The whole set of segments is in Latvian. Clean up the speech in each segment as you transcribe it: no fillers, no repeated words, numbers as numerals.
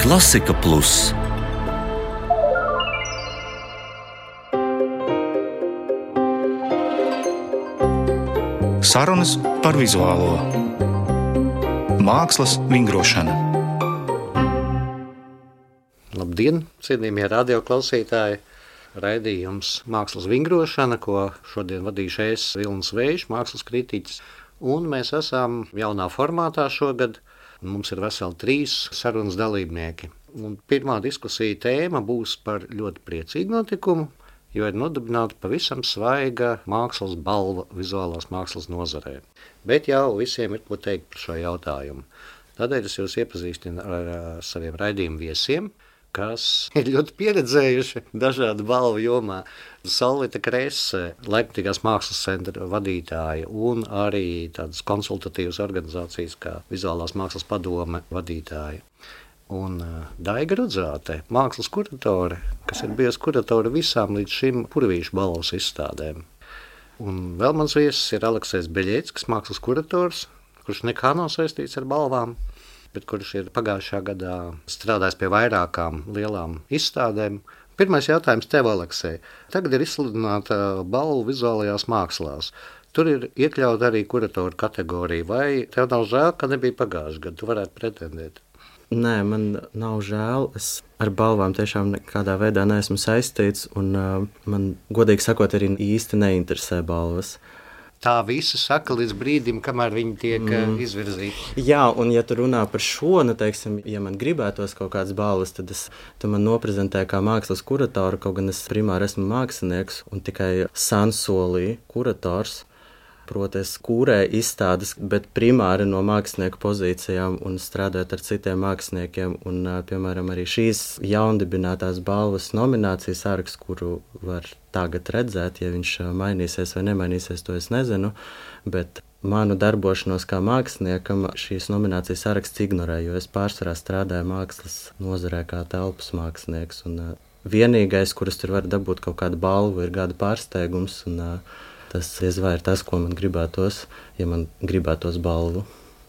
Klasika Plus. Sarunas par vizuālo mākslas vingrošanu. Labdien, cienījamie radioklausītāji! Raidījums Mākslas vingrošana, ko šodien vadīšu es, Vilnis Vējš, mākslas kritiķis. Un mēs esam jaunā formātā šogad. Mums ir veseli 3 sarunas dalībnieki. Un pirmā diskusija tēma būs par ļoti priecīgu notikumu, jo ir nodibināta pavisam svaiga mākslas balva vizuālās mākslas nozarē. Bet jau visiem ir ko teikt par šo jautājumu. Tādēļ es jūs iepazīstinu ar saviem raidījumu viesiem, kas ir ļoti pieredzējuši dažādu balvu jomā. Solvita Krese, Leipzigas mākslas centra vadītāja un arī tādas konsultatīvas organizācijas kā Vizuālās mākslas padome vadītāja. Un Daiga Rudzāte, mākslas kuratore, kas ir bijusi kuratore visām līdz šim Purvīšu balvas izstādēm. Un vēl mans viesis ir Aleksejs Beļeckis, mākslas kurators, kurš nekā nav saistīts ar balvām, bet kurš ir pagājušā gadā strādājis pie vairākām lielām izstādēm. Pirmais jautājums tev, Aleksej. Tagad ir izsludināta balva vizuālajās mākslās. Tur ir iekļauta arī kuratoru kategorija. Vai tev nav žēl, ka nebija pagājušajā gadā? Tu varētu pretendēt. Nē, man nav žēl. Es ar balvām tiešām nekādā veidā neesmu saistīts, un man, godīgi sakot, arī īsti neinteresē balvas. Tā visi saka līdz brīdim, kamēr viņi tiek izvirzīti. Jā, un ja tu runā par šo, teiksim, ja man gribētos kaut kādas balvas, tad tu man noprezentē kā mākslas kuratoru, kaut gan es primāri esmu mākslinieks un tikai sansolī kurators. Proti, es kūrēju izstādes, bet primāri no mākslinieku pozīcijām un strādājot ar citiem māksliniekiem. Un, piemēram, arī šīs jaundibinātās balvas nominācijas saraksts, kuru var tagad redzēt, ja viņš mainīsies vai nemainīsies, to es nezinu. Bet manu darbošanos kā māksliniekam šīs nominācijas saraksts ignorē, jo es pārsvarā strādāju mākslas nozarē kā telpas mākslinieks. Un vienīgais, kurus tur var dabūt kaut kādu balvu, ir gada pārsteigums. Tas ir tas, ko man gribētos, ja man gribētos balvu.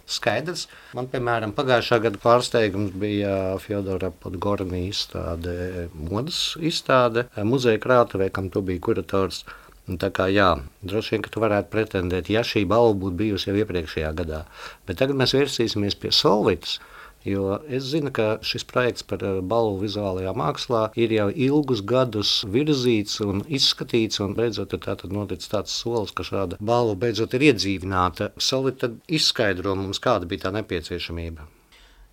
Skaidrs. Man, piemēram, pagājušā gada pārsteigums bija Fjodora Podgornī izstāde, modas izstāde, muzeja krātuvē, kam tu biji kurators. Un tā kā jā, droši vien, ka tu varētu pretendēt, ja šī balva būtu bijusi jau iepriekšējā gadā. Bet tagad mēs vērsīsimies pie Solvitas, jo es zinu, ka šis projekts par balvu vizuālajā mākslā ir jau ilgus gadus virzīts un izskatīts, un beidzot ir tātad noticis tāds solis, ka šāda balva beidzot ir iedzīvināta. Solvita, tad izskaidro mums, kāda bija tā nepieciešamība.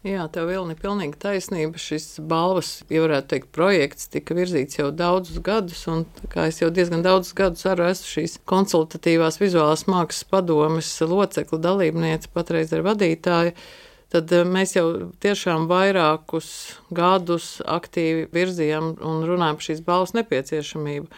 Jā, tev Vilni pilnīgi taisnība. Šis balvas, ja varētu teikt, projekts tika virzīts jau daudzus gadus, un kā es jau diezgan daudzus gadus arī esmu šīs konsultatīvās vizuālās mākslas padomes locekla dalībniece, patreiz ar vadītāju, tad mēs jau tiešām vairākus gadus aktīvi virzījām un runājām par šīs balvas nepieciešamību.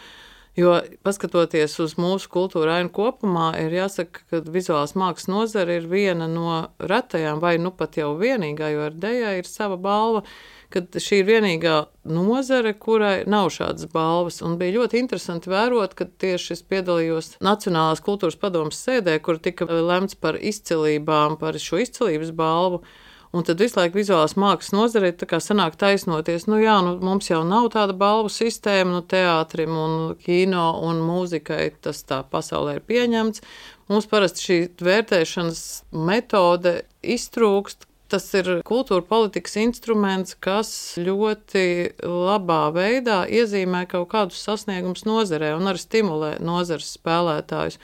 Jo, paskatoties uz mūsu kultūra ainu kopumā, ir jāsaka, ka vizuālās mākslas nozara ir viena no retajām, vai nu pat jau vienīgā, jo ar Dejai ir sava balva, kad šī ir vienīgā nozare, kurai nav šādas balvas. Un bija ļoti interesanti vērot, kad tieši es piedalījos Nacionālās kultūras padomes sēdē, kur tika lemts par izcilībām, par šo izcilības balvu. Un tad visu laiku vizuālās mākslas nozarei tā kā sanāk taisnoties. Mums jau nav tāda balvu sistēma, teātrim un kino un mūzikai tas tā pasaulē ir pieņemts. Mums parasti šī vērtēšanas metode iztrūkst. Tas ir kultūra politikas instruments, kas ļoti labā veidā iezīmē kaut kādus sasniegumus nozarē un arī stimulē nozares spēlētājus.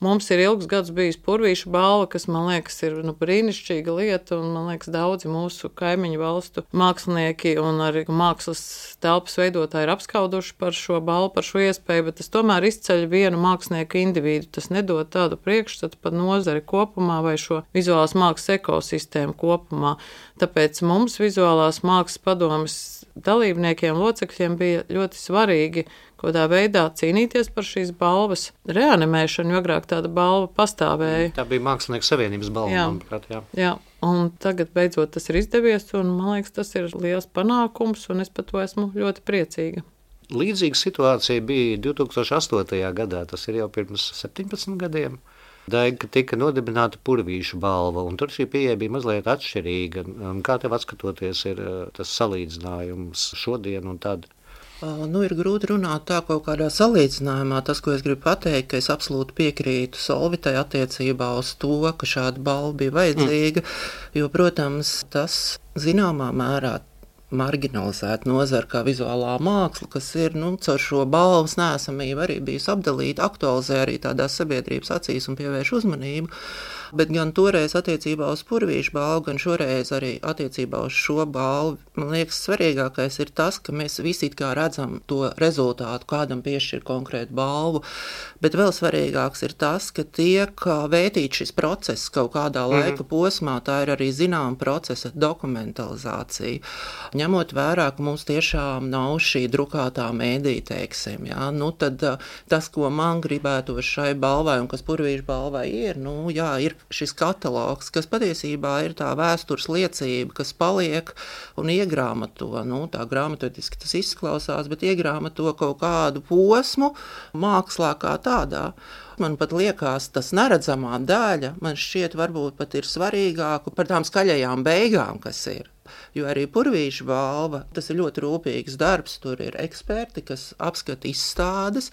Mums ir ilgus gadus bijis Purvīšu balva, kas, man liekas, ir brīnišķīga lieta, un, man liekas, daudzi mūsu kaimiņu valstu mākslinieki un arī mākslas telpas veidotāji ir apskauduši par šo balvu, par šo iespēju, bet tas tomēr izceļ vienu mākslinieku individu. Tas nedod tādu priekšstatu par nozari kopumā vai šo vizuālās mākslas ekosistēmu kopumā. Tāpēc mums vizuālās mākslas padomes dalībniekiem, locekļiem bija ļoti svarīgi kādā veidā cīnīties par šīs balvas reanimēšanu, jo agrāk tāda balva pastāvēja. Tā bija Mākslinieku savienības balva, manuprāt, jā. Jā, un tagad beidzot tas ir izdevies, un man liekas, tas ir liels panākums, un es par to esmu ļoti priecīga. Līdzīga situācija bija 2008. gadā, tas ir jau pirms 17 gadiem. Dēļ, ka tika nodibināta Purvīša balva, un tur šī pieeja bija mazliet atšķirīga. Kā tev atskatoties ir tas salīdzinājums šodien un tad? Ir grūti runāt tā kaut kādā salīdzinājumā. Tas, ko es gribu pateikt, ka es absolūti piekrītu Solvitai attiecībā uz to, ka šāda balva bija vajadzīga, jo, protams, tas zināmā mērā marginalizēta nozara kā vizuālā māksla, kas ir, caur šo balvas neesamību arī bijusi apdalīta, aktualizē arī tādās sabiedrības acīs un pievērš uzmanību. Bet gan toreiz attiecībā uz Purvīša balvu, gan šoreiz arī attiecībā uz šo balvu, man liekas, svarīgākais ir tas, ka mēs visi it kā redzam to rezultātu, kādam piešķir konkrētu balvu, bet vēl svarīgāks ir tas, ka tiek vētīts šis process kaut kādā laika posmā, tā ir arī zināma procesa dokumentalizācija. Ņemot vērā, ka mums tiešām nav šī drukātā mēdī, teiksim, tad tas, ko man gribētos šai balvai un kas Purvīša balvai ir, ir šis katalogs, kas patiesībā ir tā vēstures liecība, kas paliek un iegrāmato, tā grāmatotiski tas izklausās, bet iegrāmato kaut kādu posmu mākslā kā tādā. Man pat liekas, tas neredzamā daļa, man šķiet varbūt pat ir svarīgāku par tām skaļajām beigām, kas ir. Jo arī Purvīša balva, tas ir ļoti rūpīgs darbs, tur ir eksperti, kas apskata izstādes,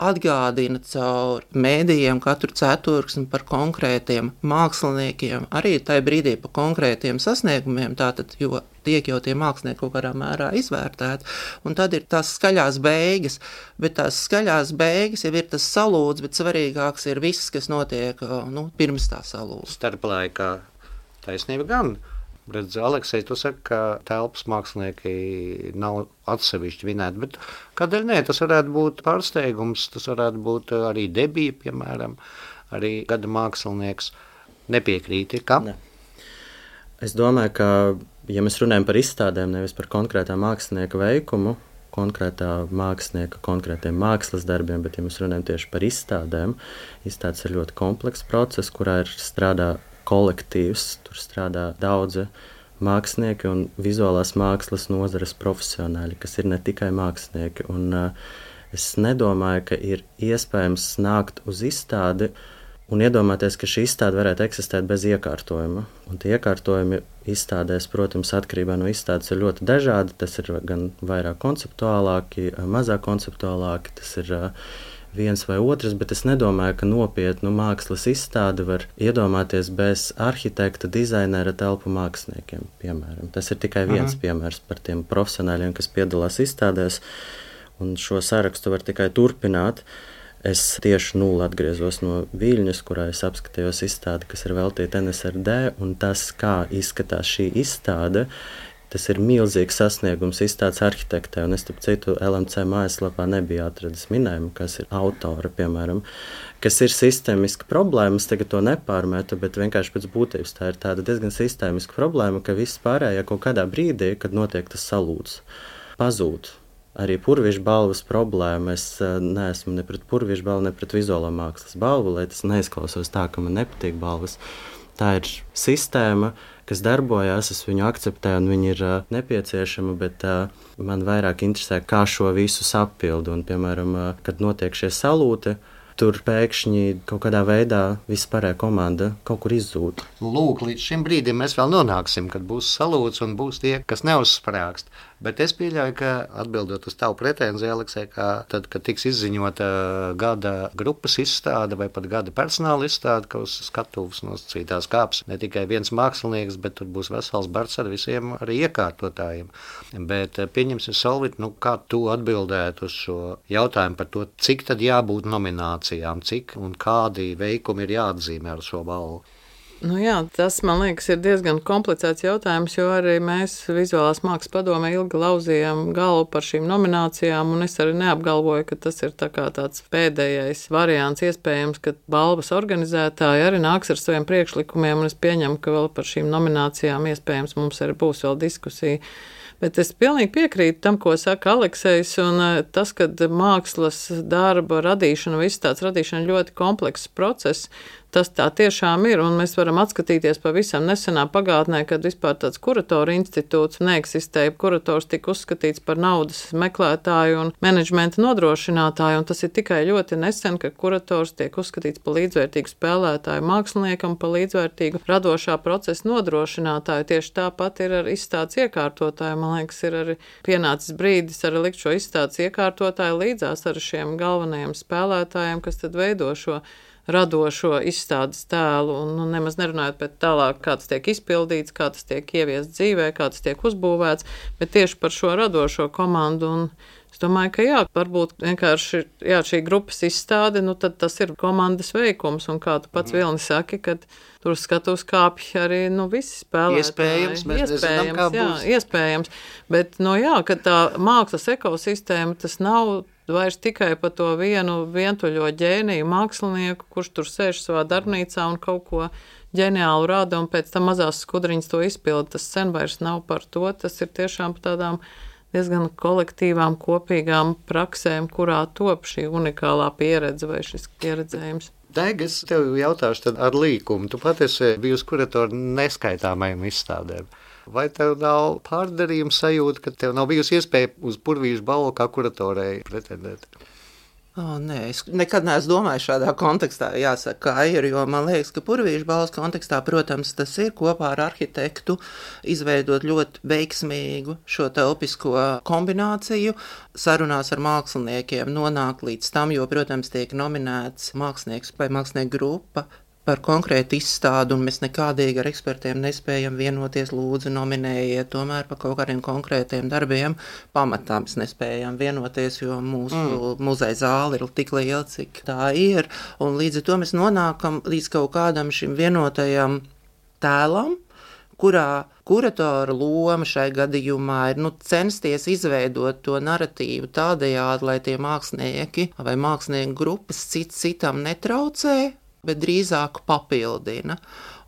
atgādina caur mēdījiem katru ceturksni par konkrētiem māksliniekiem, arī tajā brīdī par konkrētiem sasniegumiem, tātad, jo tiek jau tie mākslinieki kaut kādā mērā izvērtēti, un tad ir tās skaļās beigas, bet tās skaļās beigas jau ir tas salūds, bet svarīgāks ir viss, kas notiek pirms tā salūda. Starplaikā taisnība gan. Redz, Aleksej, tu saki, ka telpas mākslinieki nav atsevišķi vinēti, bet kādēļ ne? Tas varētu būt pārsteigums, tas varētu būt arī debija, piemēram, arī gada mākslinieks. Nepiekrīti, kā? Ne. Es domāju, ka, ja mēs runājam par izstādēm, nevis par konkrētā mākslinieka veikumu, konkrētā mākslinieka, konkrētiem mākslas darbiem, bet ja mēs runājam tieši par izstādēm, izstādes ir ļoti komplekss process, kurā ir strādā kolektīvs, tur strādā daudzi mākslinieki un vizuālās mākslas nozares profesionāļi, kas ir ne tikai mākslinieki. Un es nedomāju, ka ir iespējams nākt uz izstādi un iedomāties, ka šī izstāde varētu eksistēt bez iekārtojuma. Un tie iekārtojumi izstādēs, protams, atkarībā no izstādes ir ļoti dažādi. Tas ir gan vairāk konceptuālāki, mazāk konceptuālāki, tas ir viens vai otrs, bet es nedomāju, ka nopietnu mākslas izstādi var iedomāties bez arhitekta, dizainera, telpu māksliniekiem, piemēram. Tas ir tikai viens piemērs par tiem profesionāļiem, kas piedalās izstādēs, un šo sarakstu var tikai turpināt. Es tieši atgriezos no Viļņas, kurā es apskatījos izstādi, kas ir veltīta NSRD, un tas, kā izskatās šī izstāde, tas ir milzīgs sasniegums izstādes arhitektē, un es, starp citu, LMC mājaslapā nebija atradis minējumu, kas ir autora, piemēram, kas ir sistēmiska problēma. Es tagad to nepārmetu, bet vienkārši pēc būtības tā ir tāda diezgan sistēmiska problēma, ka viss pārējā kaut kādā brīdī, kad notiek tas salūds, pazūd. Arī Purvīša balvas problēma. Es neesmu ne pret Purvīša balvu, ne pret vizuālā mākslas balvu, lai tas neizklausās tā, ka man nepatīk balvas. Tā ir sistēma, kas darbojās, es viņu akceptēju, un viņi ir nepieciešama, bet man vairāk interesē, kā šo visu sapildu. Un, piemēram, kad notiek šie salūti, tur pēkšņi kaut kādā veidā vispārējā komanda kaut kur izzūd. Lūk, līdz šim brīdim mēs vēl nonāksim, kad būs salūts un būs tie, kas neuzsprāgst. Bet es pieļauju, ka atbildot uz tavu pretenziju, Aleksej, ka tad, kad tiks izziņota gada grupas izstāde vai pat gada personāla izstāde, ka uz skatuves nosacītās kāps ne tikai viens mākslinieks, bet tur būs vesels bards ar visiem arī iekārtotājiem. Bet pieņemsim, Solvit, kā tu atbildētu uz šo jautājumu par to, cik tad jābūt nominācijām, cik un kādi veikumi ir jāatzīmē ar šo balvu? Tas, man liekas, ir diezgan komplicēts jautājums, jo arī mēs Vizuālās mākslas padomē ilgi lauzījām galvu par šīm nominācijām, un es arī neapgalvoju, ka tas ir tāds pēdējais variants iespējams, ka balvas organizētāji arī nāks ar saviem priekšlikumiem, un es pieņemu, ka vēl par šīm nominācijām iespējams mums arī būs vēl diskusija. Bet es pilnīgi piekrītu tam, ko saka Aleksejs, un tas, ka mākslas darba radīšana, viss tāds radīšana ļoti komplekss process, tas tā tiešām ir, un mēs varam atskatīties pavisam nesenā pagātnē, kad vispār tāds kuratoru institūts neeksistēja. Kurators tika uzskatīts par naudas meklētāju un menedžmenta nodrošinātāju, un tas ir tikai ļoti nesen, ka kurators tiek uzskatīts par līdzvērtīgu spēlētāju māksliniekam, par līdzvērtīgu radošā procesa nodrošinātāju. Tieši tāpat ir ar izstādes iekārtotāju. Man liekas, ir arī pienācis brīdis arī likt šo izstādes iekārtotāju līdzās ar šiem galvenajiem spēlētājiem, kas tad veido šo radošo izstādes tēlu, un nemaz nerunājot pēc tālāk, kā tas tiek izpildīts, kā tas tiek ieviests dzīvē, kā tas tiek uzbūvēts, bet tieši par šo radošo komandu, un es domāju, ka jā, varbūt vienkārši šī grupas izstāde, tad tas ir komandas veikums, un kā tu pats Vilni saki, kad tur skatos kāpj arī, visi spēlētāji. Iespējams, mēs nezinām, kā būs. Iespējams, bet, ka tā mākslas ekosistēma, tas nav vairs tikai par to vienu vientuļo ģēniju mākslinieku, kurš tur sēž savā darbnīcā un kaut ko ģeniālu rada, un pēc tam mazās skudriņas to izpilda. Tas sen vairs nav par to, tas ir tiešām par tādām diezgan kolektīvām, kopīgām praksēm, kurā top šī unikālā pieredze vai šis pieredzējums. Daiga, es tev jautāšu tad ar līkumu. Tu pat esi bijusi kuratora neskaitāmajiem izstādēm. Vai tev nav pārdarījuma sajūta, ka tev nav bijusi iespēja uz Purvīša balvu kā kuratorei pretendēt? Nē, es nekad neesmu domājis šādā kontekstā, jāsaka, kā ir, jo man liekas, ka Purvīša balvas kontekstā, protams, tas ir kopā ar arhitektu izveidot ļoti veiksmīgu šo telpisko kombināciju, sarunās ar māksliniekiem nonākt līdz tam, jo, protams, tiek nominēts mākslinieks vai mākslinieku grupa par konkrētu izstādu, un mēs nekādīgi ar ekspertiem nespējam vienoties, lūdzu nominējiet, tomēr par kaut kādiem konkrētiem darbiem pamatā mēs nespējam vienoties, jo mūsu muzeja zāle ir tik liela, cik tā ir, un līdz ar to mēs nonākam līdz kaut kādam šim vienotajam tēlam, kurā kuratora loma šai gadījumā ir censties izveidot to narratīvu tādējādi, lai tie mākslinieki vai mākslinieku grupas citam netraucē, bet drīzāk papildina.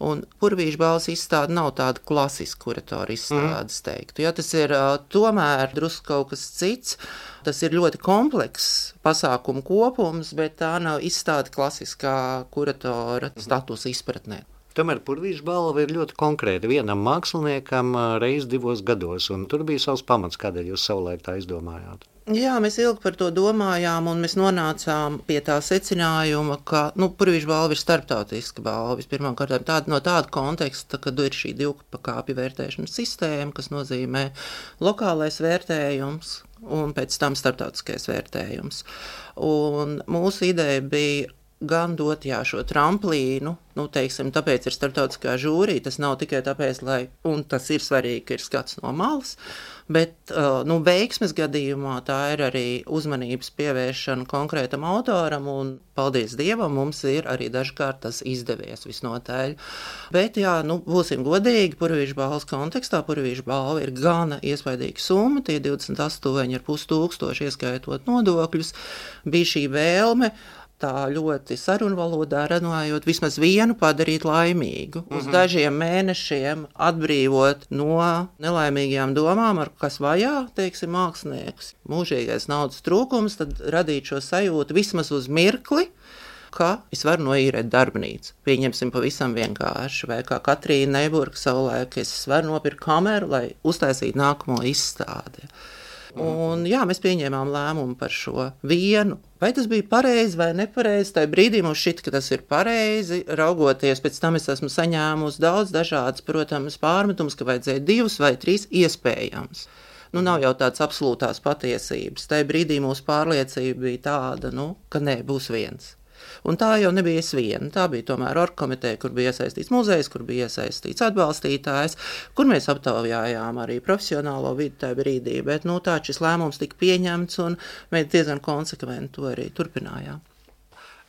Un Purvīša balvas izstāde nav tāda klasiska kuratora izstāde, teiktu. Ja, tas ir tomēr drusku kaut kas cits. Tas ir ļoti komplekss pasākumu kopums, bet tā nav izstāde klasiskā kuratora statusa izpratnē. Tomēr Purvīša balva ir ļoti konkrēta vienam māksliniekam reiz 2 gados, un tur bija savs pamats, kādēļ jūs savulaik tā izdomājāt. Jā, mēs ilgi par to domājām, un mēs nonācām pie tā secinājuma, ka Purvīša balva ir starptautiska balva. Pirmkārt, no tāda konteksta, kad ir šī 2 pakāpju vērtēšanas sistēma, kas nozīmē lokālais vērtējums un pēc tam starptautiskais vērtējums. Un mūsu ideja bija gan dot šo tramplīnu, tāpēc ir starptautiskā žūrija, tas nav tikai tāpēc, un tas ir svarīgi, ka ir skats no malas, bet veiksmes gadījumā tā ir arī uzmanības pievēršana konkrētam autoram, un paldies Dievam, mums ir arī dažkārt tas izdevies visnotaļ. Bet būsim godīgi, Purvīša balvas kontekstā, Purvīša balva ir gana iespaidīga summa, tie 28,5 tūkstoši ieskaitot nodokļus, bija šī vēlme, tā ļoti sarunvalodā runājot, vismaz vienu padarīt laimīgu, uz dažiem mēnešiem atbrīvot no nelaimīgajām domām, ar kas vajā, mākslinieks. Mūžīgais naudas trūkums, tad radīt šo sajūtu vismaz uz mirkli, ka es varu noīrēt darbnīcu. Pieņemsim pavisam vienkārši, vai kā Katrīna Neiburga savulaik, es varu nopirkt kameru, lai uztaisītu nākamo izstādi. Un mēs pieņēmām lēmumu par šo vienu. Vai tas bija pareizi vai nepareizi? Tajā brīdī mums šķita, ka tas ir pareizi. Raugoties, pēc tam es esmu saņēmusi daudz dažādas, protams, pārmetumus, ka vajadzēja 2 vai 3 iespējams. Nav jau tādas absolūtās patiesības. Tajā brīdī mūsu pārliecība bija tāda, ka nē, būs viens. Un tā jau nebija es viena. Tā bija tomēr orgkomiteja, kur bija iesaistīts muzejs, kur bija iesaistīts atbalstītājs, kur mēs aptaujājām arī profesionālo vidi tajā brīdī. Bet tā šis lēmums tika pieņemts, un mēs diezgan konsekventi to arī turpinājām.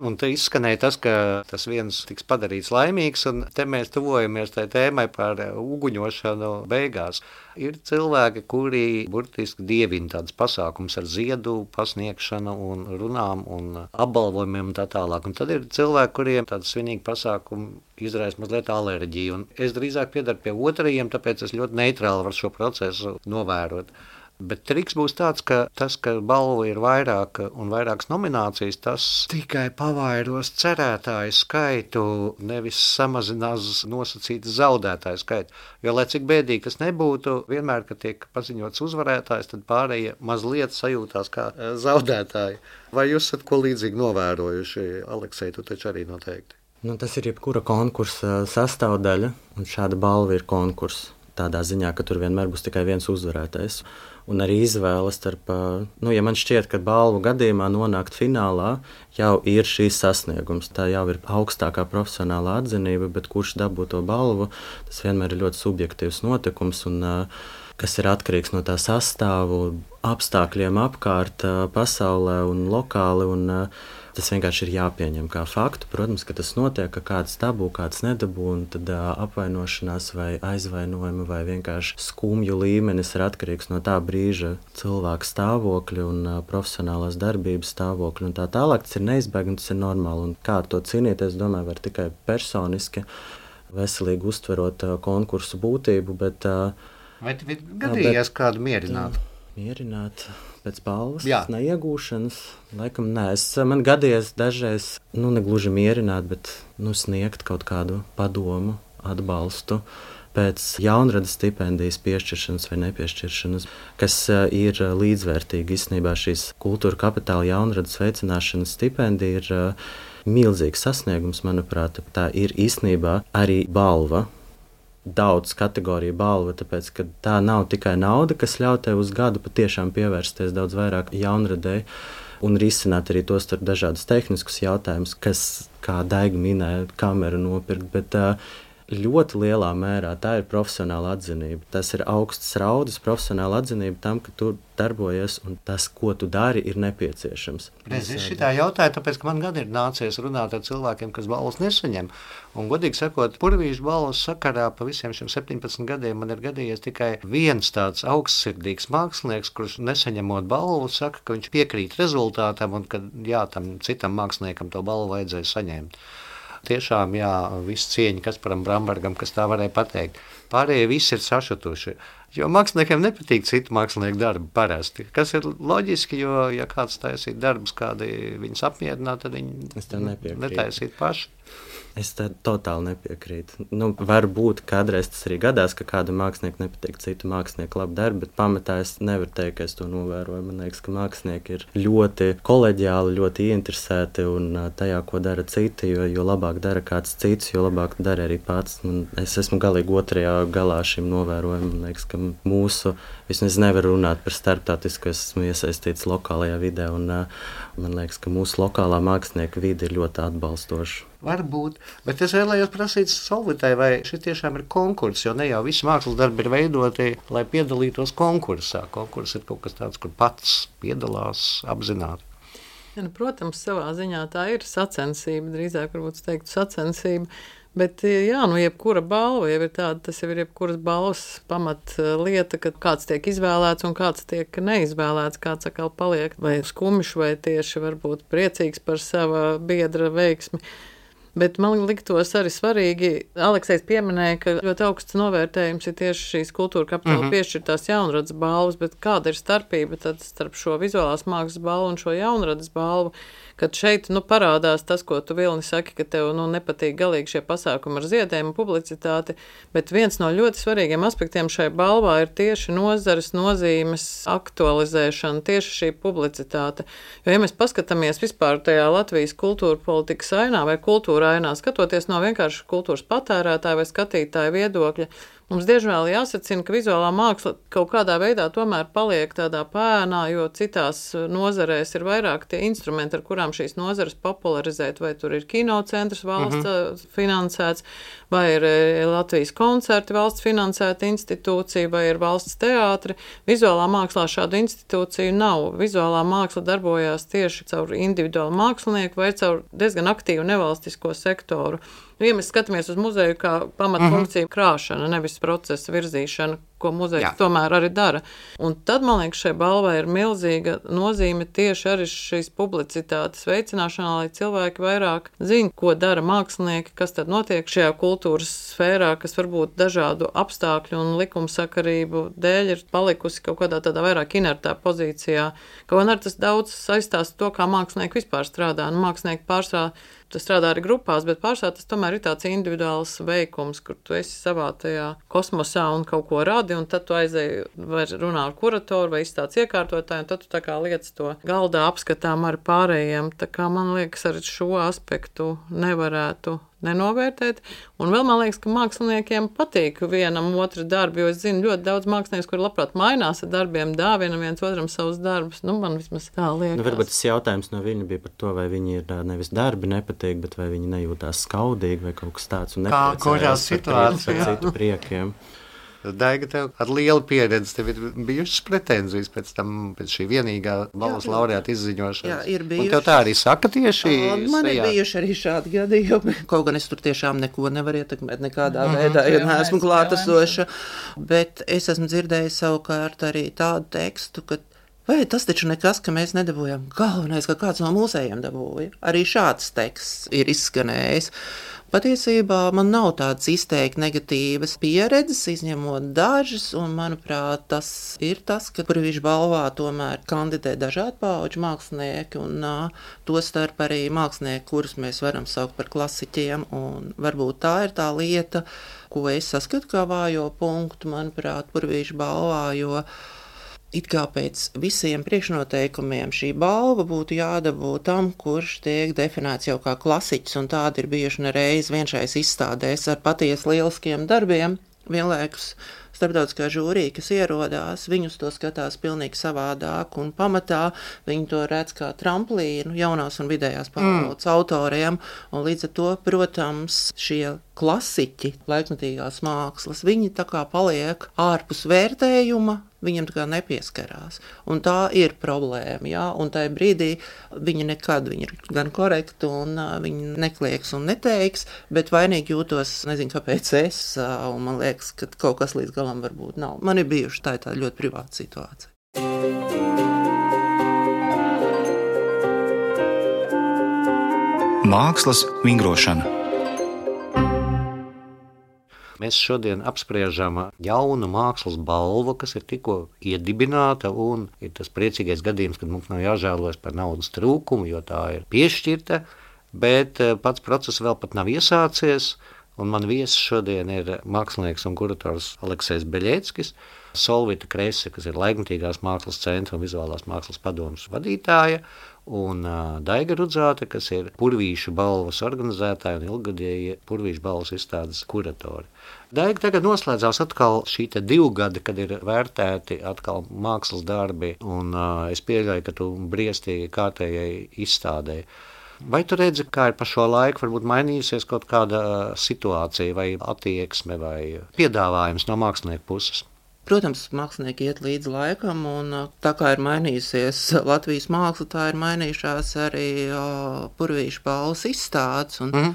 Un te izskanēja tas, ka tas viens tiks padarīts laimīgs, un te mēs tuvojamies tai tēmai par uguņošanu beigās. Ir cilvēki, kuri burtiski dievina tādas pasākums ar ziedu pasniegšanu un runām un apbalvojumiem un tā tālāk. Un tad ir cilvēki, kuriem tāda svinīga pasākuma izraisa mazliet alerģiju. Un es drīzāk piedaru pie otrajiem, tāpēc es ļoti neitrāli varu šo procesu novērot. Bet triks būs tāds, ka tas, ka balva ir vairāk un vairākas nominācijas, tas tikai pavairos cerētāju skaitu, nevis samazinās nosacītas zaudētāju skaitu. Jo, lai cik bēdīgi tas nebūtu, vienmēr, kad tiek paziņots uzvarētājs, tad pārējie mazliet sajūtās kā zaudētāji. Vai jūs esat ko līdzīgi novērojuši? Aleksej, tu taču arī noteikti. Tas ir jebkura konkursa sastāvdaļa, un šāda balva ir konkurss. Tādā ziņā, ka tur vienmēr būs tikai viens uzvarētājs. Un arī izvēle starp, ja man šķiet, ka balvu gadījumā nonākt finālā jau ir šīs sasniegums. Tā jau ir augstākā profesionālā atzinība, bet kurš dabū to balvu, tas vienmēr ir ļoti subjektīvs notikums, un kas ir atkarīgs no tā sastāvu, apstākļiem apkārt pasaulē un lokāli. Un tas vienkārši ir jāpieņem kā faktu. Protams, ka tas notiek, ka kāds dabū, kāds nedabū, un tad apvainošanās vai aizvainojumi vai vienkārši skumju līmenis ir atkarīgs no tā brīža cilvēka stāvokļa un profesionālās darbības stāvokļa un tā tālāk. Tas ir neizbēgami, tas ir normāli. Un kā ar to cīnīties, domāju, var tikai personiski, veselīgi uztverot konkursu būtību, bet... Vai tev ir gadījies kādu mierināt? Mierināt pēc balvas, Jā. neiegūšanas, laikam nē. Man gadījies dažreiz, negluži mierināt, bet sniegt kaut kādu padomu, atbalstu pēc jaunradas stipendijas piešķiršanas vai nepiešķiršanas, kas ir līdzvērtīgi. Īstenībā šīs kultūra kapitāla jaunradas veicināšanas stipendija ir milzīgs sasniegums, manuprāt. Tā ir īstenībā arī balva. Daudz kategoriju balva, tāpēc, ka tā nav tikai nauda, kas ļauj tev uz gadu patiešām pievērsties daudz vairāk jaunradei un risināt arī tos starp dažādus tehniskus jautājumus, kas, kā Daiga minēja, kameru nopirkt, bet ļoti lielā mērā tā ir profesionāla atzinība. Tas ir augsts raudas profesionāla atzinība tam, ka tu darbojies un tas, ko tu dari, ir nepieciešams. Es šitā jautāju, tāpēc, ka man gan ir nācies runāt ar cilvēkiem, kas balvas nesaņem. Un, godīgi sakot, Purvīša balvas sakarā pa visiem šiem 17 gadiem man ir gadījies tikai viens tāds augstsirdīgs mākslinieks, kurš nesaņemot balvu, saka, ka viņš piekrīt rezultātam un ka tam citam māksliniekam to balvu vajadzēja saņemt. Tiešām, viss cieņa Kasparam Brambergam, kas tā varēja pateikt. Pārējie visi ir sašutuši, jo māksliniekiem nepatīk citu mākslinieku darbu parasti. Kas ir loģiski, jo, ja kāds taisīt darbus, kādi viņus apmierinātu, tad viņi netaisīt paši. Es totāli nepiekrītu. Varbūt kādreiz tas arī gadās, ka kāda mākslinieka nepatīk citu mākslinieku labu darbu, bet pamatā es nevaru teikt, ka es to novēroju. Man liekas, ka mākslinieki ir ļoti koleģiāli, ļoti ieinteresēti un tajā, ko dara citi, jo labāk dara kāds cits, jo labāk dara arī pats. Es esmu galīgi otrajā galā šim novērojumam. Man liekas, ka mūsu, vismaz nevar runāt par starptautisku, es esmu iesaistīts lokālajā vidē, un man liekas, ka mūsu lokālā mākslinieka vide ir ļoti atbalstoša. Varbūt, bet es vēlējos prasīt Solvitai, vai šis tiešām ir konkurss, jo ne jau visi mākslas darbi ir veidoti, lai piedalītos konkursā. Konkurss ir kaut kas tāds, kur pats piedalās apzināti. Protams, savā ziņā tā ir sacensība, drīzāk varbūt teiktu sacensība, bet jebkura balva jau ir tāda, tas jau ir jebkuras balvas pamatlieta, ka kāds tiek izvēlēts un kāds tiek neizvēlēts, kāds atkal paliek vai skumjš vai tieši varbūt priecīgs par sava biedra veiksmi. Bet man liktos arī svarīgi, Aleksejs pieminēja, ka ļoti augsts novērtējums ir tieši šīs kultūra kapitāla piešķirtās jaunradas balvas, bet kāda ir starpība tad starp šo vizuālās mākslas balvu un šo jaunradas balvu, kad šeit parādās tas, ko tu, Vilni, saki, ka tev nepatīk galīgi šie pasākumi ar ziedējumu publicitāti, bet viens no ļoti svarīgiem aspektiem šai balvā ir tieši nozares nozīmes aktualizēšana, tieši šī publicitāte. Jo, ja mēs paskatāmies vispār tajā Latvijas kultūra politikas ainā vai kultūra ainā, skatoties no vienkārši kultūras patērētāja vai skatītāja viedokļa, mums diezvēl jāsacina, ka vizuālā māksla kaut kādā veidā tomēr paliek tādā pēnā, jo citās nozarēs ir vairāk tie instrumenti, ar kurām šīs nozares popularizēt, vai tur ir kinocentrs valsts finansēts, vai ir Latvijas koncerti valsts finansēta institūcija, vai ir valsts teātri. Vizuālā mākslā šādu institūciju nav. Vizuālā māksla darbojās tieši caur individuālu mākslinieku vai caur diezgan aktīvu nevalstisko sektoru. Ja mēs skatāmies uz muzeju kā pamatfunkciju krāšana, nevis procesa virzīšana, ko muzejs tomēr arī dara. Un tad, man liekas, šai balvai ir milzīga nozīme tieši arī šīs publicitātes veicināšanā, lai cilvēki vairāk zina, ko dara mākslinieki, kas tad notiek šajā kultūras sfērā, kas varbūt dažādu apstākļu un likumsakarību dēļ ir palikusi kaut kādā tādā vairāk inertā pozīcijā. Kaut gan ar tas daudz saistās to, kā mākslinieki vispār strādā. Nu, mākslinieki pārsvarā tas strādā arī grupās, bet pārsvarā tas tomēr ir tāds individuāls veikums, kur tu esi savā tajā kosmosā un kaut ko radi, un tad tu aizēji vai runā ar kuratoru vai izstādes iekārtotāju, un tad tu tā kā liec to galdā apskatām ar pārējiem. Tā kā man liekas, arī šo aspektu nevarētu nenovērtēt. Un vēl man liekas, ka māksliniekiem patīk vienam otru darbu, jo es zinu ļoti daudz mākslinieku, kuri labprāt mainās ar darbiem, dāvina viens otram savus darbus. Nu, man vismaz tā liekas. Nu, varbūt tas jautājums no viņa bija par to, vai viņi ir nevis darbi nepatīk, bet vai viņi nejūtās skaudīgi vai kaut kas tāds un nepriecājās par citu priekiem. Daiga, tev ar lielu pieredzi, tev ir bijušas pretenzijas pēc šī vienīgā balvas laureāta izziņošanas. Jā, ir bijuši. Un tev tā arī saka tieši? Man ir bijuši arī šādi gadījumi. Kaut gan es tur tiešām neko nevaru ietekmēt nekādā veidā, jo neesmu klātesoša. Bet es esmu dzirdējis savukārt arī tādu tekstu, ka vai tas taču nekas, ka mēs nedabūjām. Galvenais, ka kāds no mūsējiem dabūja. Arī šāds teksts ir izskanējis. Patiesībā man nav tādas izteikti negatīvas pieredzes, izņemot dažas, un, manuprāt, tas ir tas, ka Purvīša balvā tomēr kandidē dažādu paudžu mākslinieki, un tostarp arī mākslinieki, kurus mēs varam saukt par klasiķiem, un varbūt tā ir tā lieta, ko es saskatu kā vājo punktu, manuprāt, Purvīša balvā, jo it kā pēc visiem priekšnoteikumiem šī balva būtu jādabū tam, kurš tiek definēts jau kā klasiķis, un tādi ir bijuši nereiz vienšais izstādēs ar patiesi lieliskiem darbiem. Vienlaikus starptautiskā žūrija, kas ierodās, viņus to skatās pilnīgi savādāk, un pamatā viņi to redz kā tramplīnu jaunās un vidējās paudzes autoriem, un līdz ar to, protams, šie klasiķi laikmetīgās mākslas, viņi tā kā paliek ārpus vērtējuma, viņam tā kā nepieskarās. Un tā ir problēma, jā, un tajā brīdī viņi nekad, viņi ir gan korekti, un viņi neklieks un neteiks, bet vainīgi jūtos, nezinu, kāpēc es, un man liekas, ka kaut kas līdz galam varbūt nav. Man ir bijuši tā ļoti privāta situācija. Mākslas vingrošana. Mēs šodien apspriežam jaunu mākslas balvu, kas ir tikko iedibināta, un ir tas priecīgais gadījums, kad mums nav jāžēlojas par naudas trūkumu, jo tā ir piešķirta, bet pats process vēl pat nav iesācies, un man viesis šodien ir mākslinieks un kurators Aleksejs Beļeckis, Solvita Krese, kas ir Laikmetīgās mākslas centra un vizuālās mākslas padomes vadītāja, un Daiga Rudzāte, kas ir Purvīša balvas organizētāja un ilggadēja Purvīša balvas izstādes kuratori. Daiga, tagad noslēdzās atkal šī 2 gadi, kad ir vērtēti atkal mākslas darbi, un es pieļauju, ka tu briestīgi kārtējai izstādēji. Vai tu redzi, kā ir pa šo laiku varbūt mainījusies kaut kāda situācija vai attieksme vai piedāvājums no mākslinieku puses? Protams, mākslinieki iet līdz laikam, un tā kā ir mainījusies Latvijas māksla, tā ir mainījušās arī Purvīša balvas izstādes, un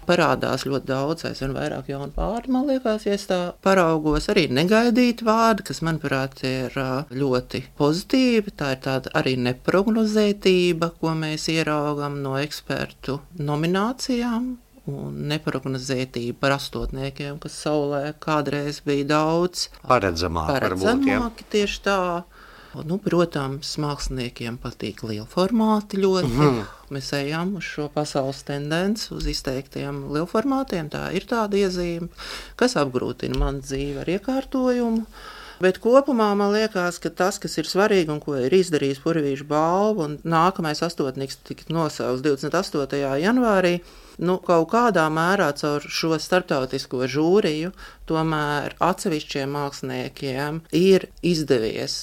parādās ļoti daudz, aizvien vairāk jaunu vārdu, man liekas, ja es tā paraugos, arī negaidīti vārdi, kas, manuprāt, ir ļoti pozitīvi. Tā ir tāda arī neprognozētība, ko mēs ieraugam no ekspertu nominācijām, un neprognozētība par astotniekiem, kas saulē kādreiz bija daudz paredzamāki tieši tā. Nu, protams, māksliniekiem patīk lielformāti ļoti. Mēs ejam uz šo pasaules tendenci, uz izteiktiem lielformātiem. Tā ir tāda iezīme, kas apgrūtina manu dzīvi ar iekārtojumu. Bet kopumā man liekas, ka tas, kas ir svarīgi un ko ir izdarījis Purvīša balva, un nākamais astotnieks tika nosaukts 28. janvārī, kaut kādā mērā caur šo starptautisko žūriju tomēr atsevišķiem māksliniekiem ir izdevies,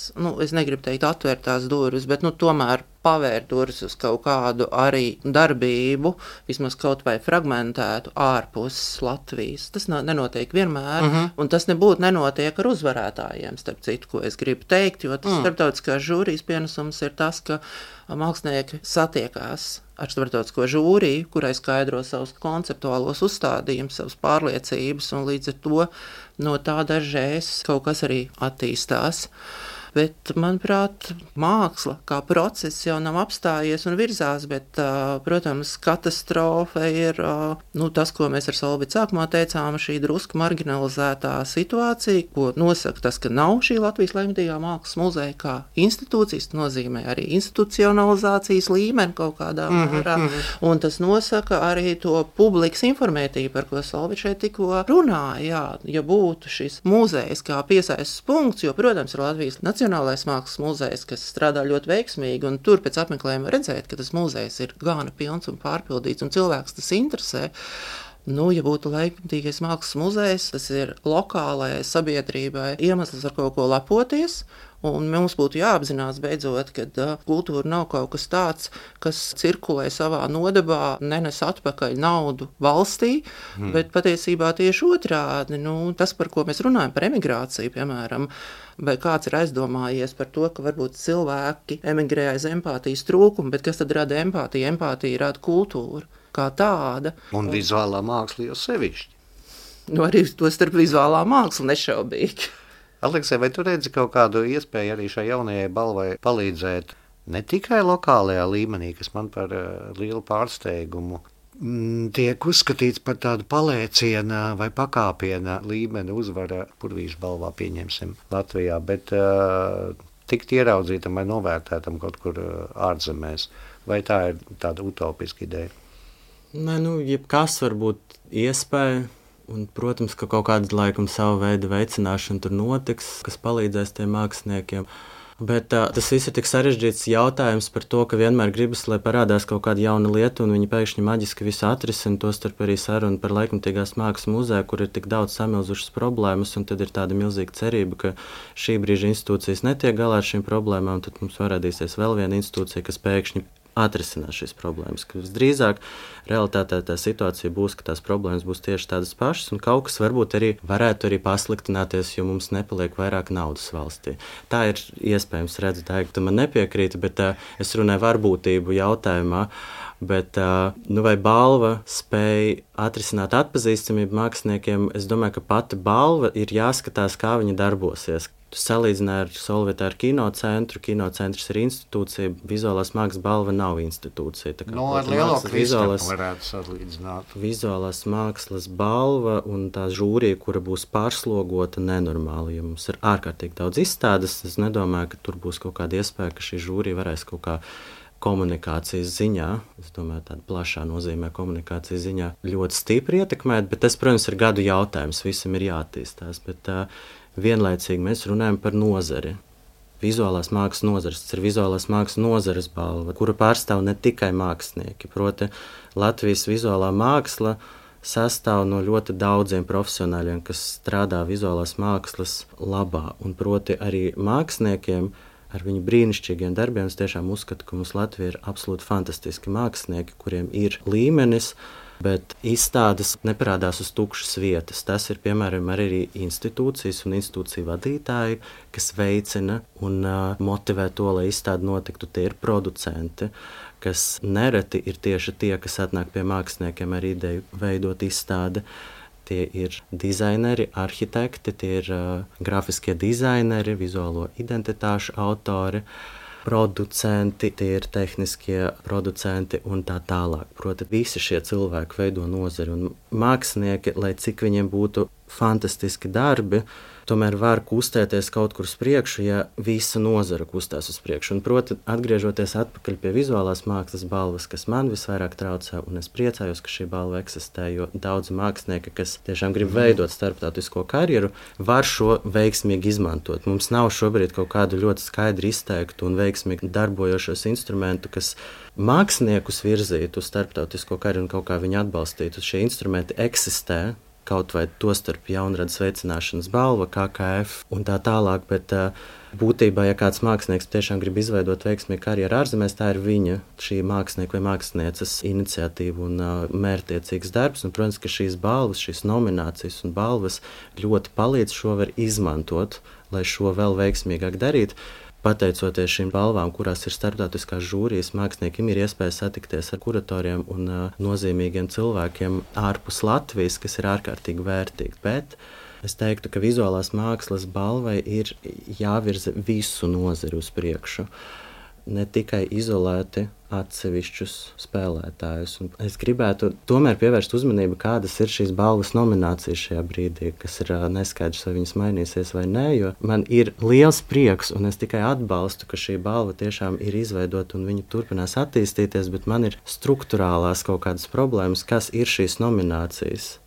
es negribu teikt atvērt tās durvis, bet tomēr pavērt durvis uz kaut kādu arī darbību, vismaz kaut vai fragmentētu ārpus Latvijas. Tas nenotiek vienmēr, un tas nebūtu nenotiek ar uzvarētājiem, starp citu, ko es gribu teikt, jo tas starptautiskās žūrijas pienesums ir tas, ka mākslinieki satiekās ar starptautisko žūriju, kurai skaidro savus konceptuālos uzstādījumus, savas pārliecības, un līdz ar to no tā dažreiz kaut kas arī attīstās. Bet, manuprāt, māksla kā process jau nav apstājies un virzās, bet, protams, katastrofa ir tas, ko mēs ar Solvītu sākumā teicām, šī drusku marginalizētā situācija, ko nosaka tas, ka nav šī Latvijas laikmatīgā mākslas muzeja kā institūcijas, nozīmē arī institucionalizācijas līmeni kaut kādā mērā, un tas nosaka arī to publikas informētību, par ko Solvīts šeit tikko runāja. Ja būtu šis muzejs kā piesaistes punkts, jo, protams, ir Latvijas Nacionālais mākslas muzejs, kas strādā ļoti veiksmīgi, un tur pēc apmeklējuma redzēt, ka tas muzejs ir gana pilns un pārpildīts, un cilvēks tas interesē. Ja būtu laikmatīgais mākslas muzejs, tas ir lokālajai sabiedrībai iemesls ar kaut ko lepoties, un mums būtu jāapzinās beidzot, ka kultūra nav kaut kas tāds, kas cirkulē savā nodabā, nenes atpakaļ naudu valstī, bet patiesībā tieši otrādi. Tas, par ko mēs runājam, par emigrāciju, piemēram, vai kāds ir aizdomājies par to, ka varbūt cilvēki emigrē aiz empātijas trūkumu, bet kas tad rada empātiju? Empātija rada kultūru kā tāda. Un vizuālā māksla jau sevišķi. Arī to starp vizuālā māksla nešaubīgi. Aleksej, vai tu redzi kaut kādu iespēju arī šai jaunajai balvai palīdzēt ne tikai lokālajā līmenī, kas man par lielu pārsteigumu tiek uzskatīts par tādu palēciena vai pakāpiena līmeni uzvara Purvīša balvā, pieņemsim, Latvijā, bet tikt ieraudzītam vai novērtētam kaut kur ārzemēs? Vai tā ir tāda utopiska ideja? Nē, jebkas var būt iespēja. Un, protams, ka kaut kāda laikam savu veidu veicināšana tur notiks, kas palīdzēs tiem māksliniekiem. Bet tas viss ir tik sarežģīts jautājums par to, ka vienmēr gribas, lai parādās kaut kāda jauna lieta, un viņi pēkšņi maģiski visu atrisina, tostarp arī sarunu par laikmatīgās mākslas muzeju, kur ir tik daudz samilzušas problēmas, un tad ir tāda milzīga cerība, ka šī brīža institūcijas netiek galā ar šīm problēmām, tad mums parādīsies vēl viena institūcija, kas pēkšņi atrisinās šīs problēmas. Visdrīzāk realitātē tā situācija būs, ka tās problēmas būs tieši tādas pašas, un kaut kas varbūt arī varētu arī pasliktināties, jo mums nepaliek vairāk naudas valstī. Tā ir iespējams, redzu, Daiga, tu man nepiekrīti, bet es runāju varbūtību jautājumā, bet vai balva spēja atrisināt atpazīstamību māksliniekiem? Es domāju, ka pati balva ir jāskatās, kā viņa darbosies. Tu salīdzināji ar Solvītu ar kinocentru. Kinocentrs ir institūcija, vizuālās mākslas balva nav institūcija. Ar lielo Kristapu varētu salīdzināt. Vizuālās mākslas balva un tā žūrija, kura būs pārslogota nenormāli. Ja mums ir ārkārtīgi daudz izstādes, es nedomāju, ka tur būs kaut kāda iespēja, ka šī žūrija varēs kaut kā komunikācijas ziņā, es domāju, tāda plašā nozīmē komunikācijas ziņā ļoti stipri ietekmēt, bet tas, protams, ir gadu jautājums, visam ir jāattīstās, bet vienlaicīgi mēs runājam par nozari. Vizuālās mākslas nozares, tas ir vizuālās mākslas nozares balva, kura pārstāv ne tikai mākslinieki. Proti, Latvijas vizuālā māksla sastāv no ļoti daudziem profesionāļiem, kas strādā vizuālās mākslas labā, un proti arī māksliniekiem ar viņu brīnišķīgiem darbiem. Es tiešām uzskatu, ka mums Latvija ir absolūti fantastiski mākslinieki, kuriem ir līmenis, bet izstādes neparādās uz tukšas vietas. Tas ir, piemēram, arī institūcijas un institūciju vadītāji, kas veicina un motivē to, lai izstāde notiktu. Tie ir producenti, kas nereti ir tieši tie, kas atnāk pie māksliniekiem ar ideju veidot izstādi. Tie ir dizaineri, arhitekti, tie ir grafiskie dizaineri, vizuālo identitāšu autori, producenti, tie ir tehniskie producenti un tā tālāk. Proti, visi šie cilvēki veido nozari, un mākslinieki, lai cik viņiem būtu fantastiski darbi, tomēr var kustēties kaut kur uz priekšu, ja visa nozara kustās uz priekšu. Un, proti, atgriežoties atpakaļ pie vizuālās mākslas balvas, kas man visvairāk traucē, un es priecājos, ka šī balva eksistē, jo daudzi mākslinieki, kas tiešām grib veidot starptautisko karjeru, var šo veiksmīgi izmantot. Mums nav šobrīd kaut kādu ļoti skaidri izteiktu un veiksmīgi darbojošos instrumentu, kas māksliniekus virzītu uz starptautisko karjeru un kaut kā viņu atbalstītu. Šie instrumenti eksistē, kaut vai tostarp jaunradas veicināšanas balva, KKF un tā tālāk, bet būtībā, ja kāds mākslinieks tiešām grib izveidot veiksmīgu karjeru ārzemēs, tā ir viņa, šī mākslinieka vai mākslinieces iniciatīva un mērķtiecīgs darbs. Un, protams, ka šīs balvas, šīs nominācijas un balvas ļoti palīdz šo var izmantot, lai šo vēl veiksmīgāk darītu. Pateicoties šīm balvām, kurās ir starptautiskās žūrijas, māksliniekiem ir iespēja satikties ar kuratoriem un nozīmīgiem cilvēkiem ārpus Latvijas, kas ir ārkārtīgi vērtīgi. Bet es teiktu, ka vizuālās mākslas balvai ir jāvirza visu nozari uz priekšu, ne tikai izolēti atsevišķus spēlētājus. Un es gribētu tomēr pievērst uzmanību, kādas ir šīs balvas nominācijas šajā brīdī, kas ir neskaidrs, vai viņas mainīsies vai nē, jo man ir liels prieks, un es tikai atbalstu, ka šī balva tiešām ir izveidota un viņa turpinās attīstīties, bet man ir struktūrālās kaut kādas problēmas, kas ir šīs nominācijas.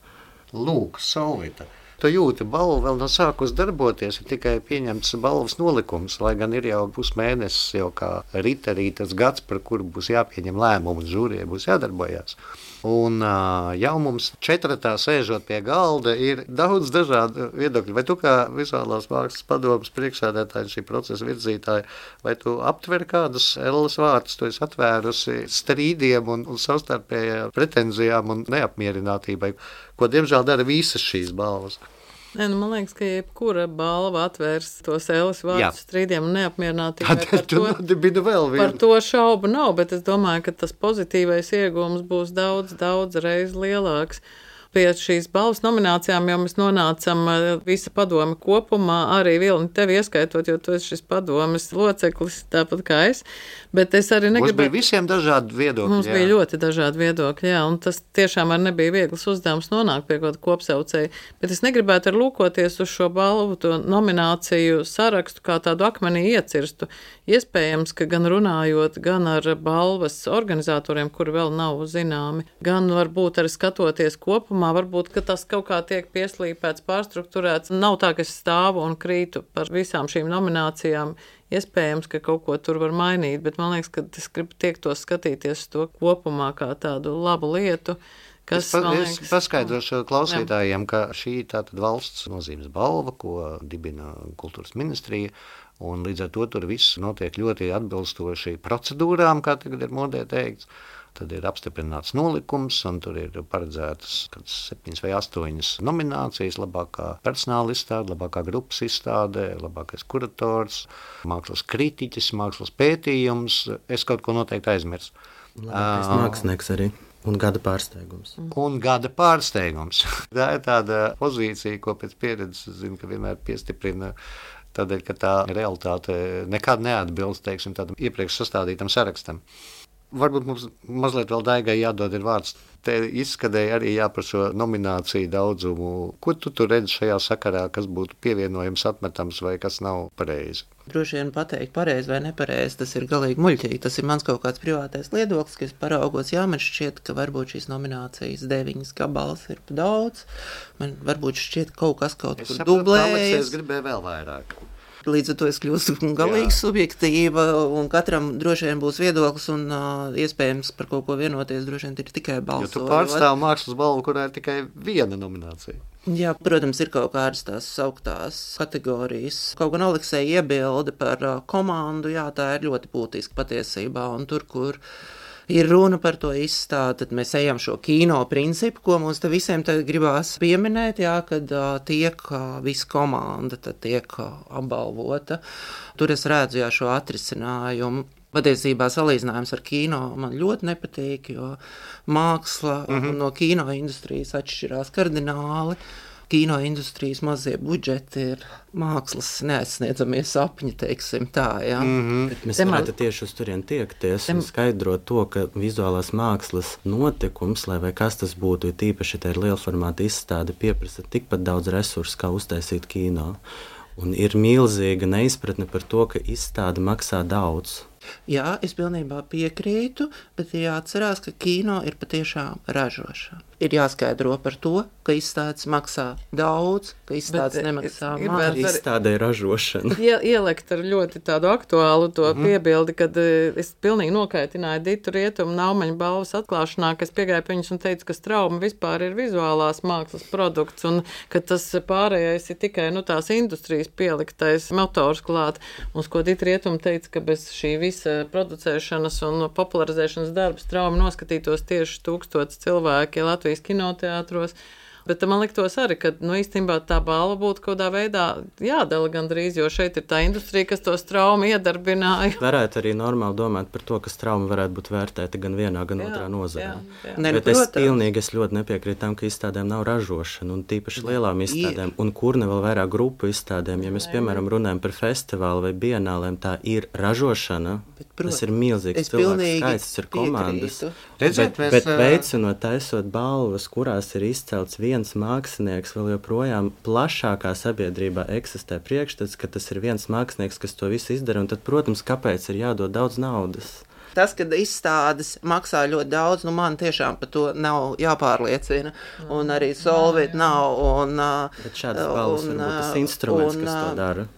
Lūk, Solvita. Tu jūti, balva vēl nav sākus darboties, ir tikai pieņemts balvas nolikums, lai gan ir jau pusmēnesis, jau kā rītas gads, par kuru būs jāpieņem lēmumu, un žūrijai būs jādarbojās. Un jau mums četratā sēžot pie galda ir daudz dažādu viedokļu. Vai tu kā vizuālās mākslas padomes priekšsēdētāji, šī procesa virzītāji, vai tu aptver kādus Elles vārtus, tu esi atvērusi strīdiem un savstarpējām pretenzijām un neapmierinātībai, ko diemžēl dara visas šīs balvas? Man liekas, ka jebkura balva atvērs tos Elles vārdus strīdiem un neapmierinātībai. Par to šaubu nav, bet es domāju, ka tas pozitīvais iegūms būs daudz reiz lielāks. Pie šīs balvas nominācijām jau mēs nonācam visa padome kopumā, arī Vilni tevi ieskaitot, jo tu esi šis padomes loceklis, tāpat kā es. Bet es arī negribēju... Mums bija visiem dažādi viedokļi. Mums bija ļoti dažādi viedokļi, jā, un tas tiešām arī nebija viegls uzdevums nonākt pie kaut kopsaucēja. Bet es negribētu ar lūkoties uz šo balvu, to nomināciju sarakstu, kā tādu akmenī iecirstu. Iespējams, ka gan runājot, gan ar balvas organizatoriem, kuri vēl nav zināmi, gan varbūt arī skatoties kopumā, varbūt, ka tas kaut kā tiek pieslīpēts, pārstrukturēts. Nav tā, ka es stāvu un krītu par visām šīm nominācijām. Iespējams, ka kaut ko tur var mainīt, bet man liekas, ka es gribu tiektos skatīties to kopumā kā tādu labu lietu. Es paskaidrošu klausītājiem, ka šī tātad valsts nozīmes balva, ko dibina kultūras ministrija, un līdz ar to tur viss notiek ļoti atbilstoši procedūrām, kā tagad ir modē teikts. Tad ir apstiprināts nolikums, un tur ir paredzētas 7 vai 8 nominācijas, labākā personāla izstāde, labākā grupas izstāde, labākais kurators, mākslas kritiķis, mākslas pētījums. Es kaut ko noteikti aizmirsu. Labākais mākslinieks arī. Un gada pārsteigums. Tā ir tāda pozīcija, ko pēc pieredzes zinu, ka vienmēr piestiprina, tādēļ, ka tā realitāte nekad neatbilst, teiksim, tādam iepriekš sastādītam sarakstam. Varbūt mums mazliet vēl Daigai jādod ir vārds. Te izskatēja arī par šo nomināciju daudzumu. Ko tu tur redzi šajā sakarā, kas būtu pievienojams, atmetams vai kas nav pareizi? Droši vien pateikt pareizi vai nepareizi, tas ir galīgi muļķīgi. Tas ir mans kaut kāds privātais viedoklis, ka es paraugos, man šķiet, ka varbūt šīs nominācijas 9 gabals ir pa daudz. Man varbūt šķiet kaut kas kaut kur dublējas. Es gribēju vēl vairāk. Līdz ar to es kļūstu galīgi subjektīva, un katram droši vien būs viedoklis, un iespējams par kaut ko vienoties droši vien ir tikai balsojot. Jo tu pārstāv mākslas balvu, kurā ir tikai viena nominācija. Jā, protams, ir kaut kādas tās sauktās kategorijas. Kaut gan Aleksēja iebilde par komandu, tā ir ļoti būtiska patiesībā, un tur, kur ir runa par to izstādi, tad mēs ejam šo kino principu, ko mums te visiem tagad gribās pieminēt, kad tiek visa komanda, tad tiek apbalvota. Tur es redzu šo atrisinājumu. Patiesībā salīdzinājums ar kino man ļoti nepatīk, jo māksla no kino industrijas atšķirās kardināli. Kino industrijas mazie budžeti ir mākslas neaizsniedzamie sapņi, teiksim tā, Bet mēs varētu tieši uz turien tiekties un skaidrot to, ka vizuālās mākslas notikums, lai vai kas tas būtu, ir tīpaši tā ir lielformāta izstāde, pieprasa tikpat daudz resursu, kā uztaisīt kino. Un ir milzīga neizpratne par to, ka izstāde maksā daudz. Jā, es pilnībā piekrītu, bet jāatcerās, ka kino ir patiešām ražošana. Ir jāskaidro par to, ka izstādes maksā daudz, ka izstādes nemaksā maz. Izstādē ražošana. Ielikt ar ļoti tādu aktuālu to piebildi, kad es pilnīgi nokaitināju Ditu Rietumu Naumaņa balvas atklāšanā, ka es piegāju pie viņus un teicu, ka Strauma vispār ir vizuālās mākslas produkts un ka tas pārējais ir tikai tās industrijas pieliktais motors klāt. Un ko Dita Rietuma teica, ka bez šī visa producēšanas un popularizēšanas darba Strauma noskatītos tieši 1000 cilvēki Latvijas kinoteātros. Bet man liktos arī, ka īstenībā tā balva būtu kaut kādā veidā jādala gandrīz, jo šeit ir tā industrija, kas to Straumu iedarbināja. Varētu arī normāli domāt par to, ka Strauma varētu būt vērtēta gan vienā, gan otrā nozarē. Bet es pilnīgi nepiekrītu tam, ka izstādēm nav ražošana, un tīpaši lielām izstādēm, un kur ne vēl vairāk grupu izstādēm. Ja mēs, piemēram, runājam par festivālu vai bienālēm, tā ir ražošana. Tas ir milzīgs cilvēks skaits, tas ir komandas. Bet veicinot, taisot balvas, kurās ir izcelts viens mākslinieks, vēl joprojām plašākā sabiedrībā eksistē priekšstats, ka tas ir viens mākslinieks, kas to visu izdara, un tad, protams, kāpēc ir jādod daudz naudas? Tas, kad izstādes maksā ļoti daudz, man tiešām par to nav jāpārliecina, un arī Solvit nav. Bet šādas balvas varbūt tas instruments, kas to dara.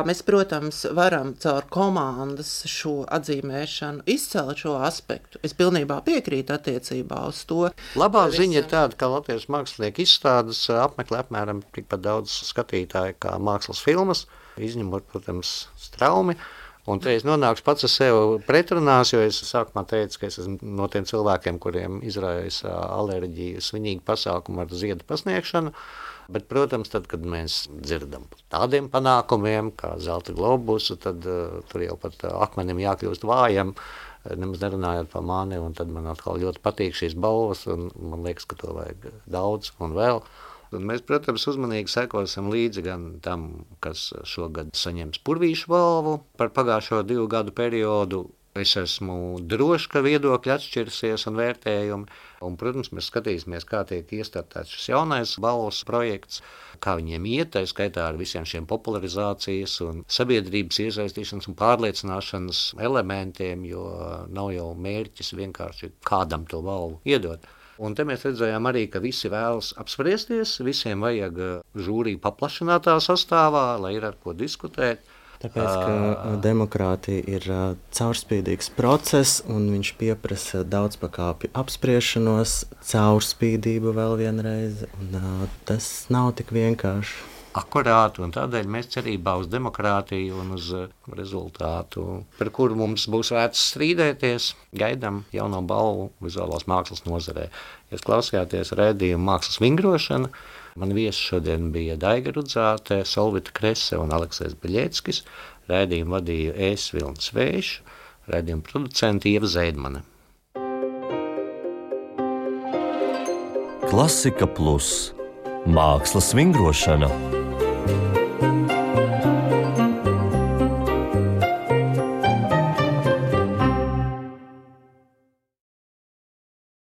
Mēs, protams, varam caur komandas šo atzīmēšanu izcelt šo aspektu. Es pilnībā piekrītu attiecībā uz to. Labā ziņa ir tāda, ka Latvijas mākslinieku izstādes apmeklē apmēram tikpat daudz skatītāju kā mākslas filmas, izņemot, protams, Straumi. Un te es nonāku pats ar sevi pretrunās, jo es sākumā teicu, ka es esmu no tiem cilvēkiem, kuriem izraisa alerģiju svinīgu pasākumu ar ziedu pasniegšanu. Bet, protams, tad, kad mēs dzirdam par tādiem panākumiem, kā zelta globusu, tad tur jau pat akmenim jākļūst vājam, nemaz nerunājot par mani, un tad man atkal ļoti patīk šīs balvas, un man liekas, ka to vajag daudz un vēl. Un mēs, protams, uzmanīgi sekosim līdzi gan tam, kas šogad saņems Purvīšu balvu par pagājušo 2 gadu periodu. Es esmu drošs, ka viedokļi atšķirsies un vērtējumi. Un, protams, mēs skatīsimies, kā tiek iestartēts šis jaunais balvas projekts, kā viņiem iet, tā skaitā ar visiem šiem popularizācijas un sabiedrības iesaistīšanas un pārliecināšanas elementiem, jo nav jau mērķis vienkārši kādam to balvu iedot. Un te mēs redzējām arī, ka visi vēlas apspriesties, visiem vajag žūriju paplašinātā sastāvā, lai ir ar ko diskutēt. Tāpēc, ka demokrātija ir caurspīdīgs process, un viņš pieprasa daudzpakāpju apspriešanos, caurspīdību vēl vienreiz, un tas nav tik vienkārši. Akurāti, un tādēļ mēs cerībā uz demokrātiju un uz rezultātu, par kuru mums būs vērts strīdēties, gaidām jauno balvu vizuālās mākslas nozarē. Jūs klausījāties raidījumu Mākslas vingrošana. Man viesi šodien bija Daiga Rudzāte, Solvita Krese un Aleksējs Beļeckis. Raidījumu vadīju es, Vilnis Vējš, raidījumu producenti Ieva Zeidmane. Klasika Plus – mākslas vingrošana.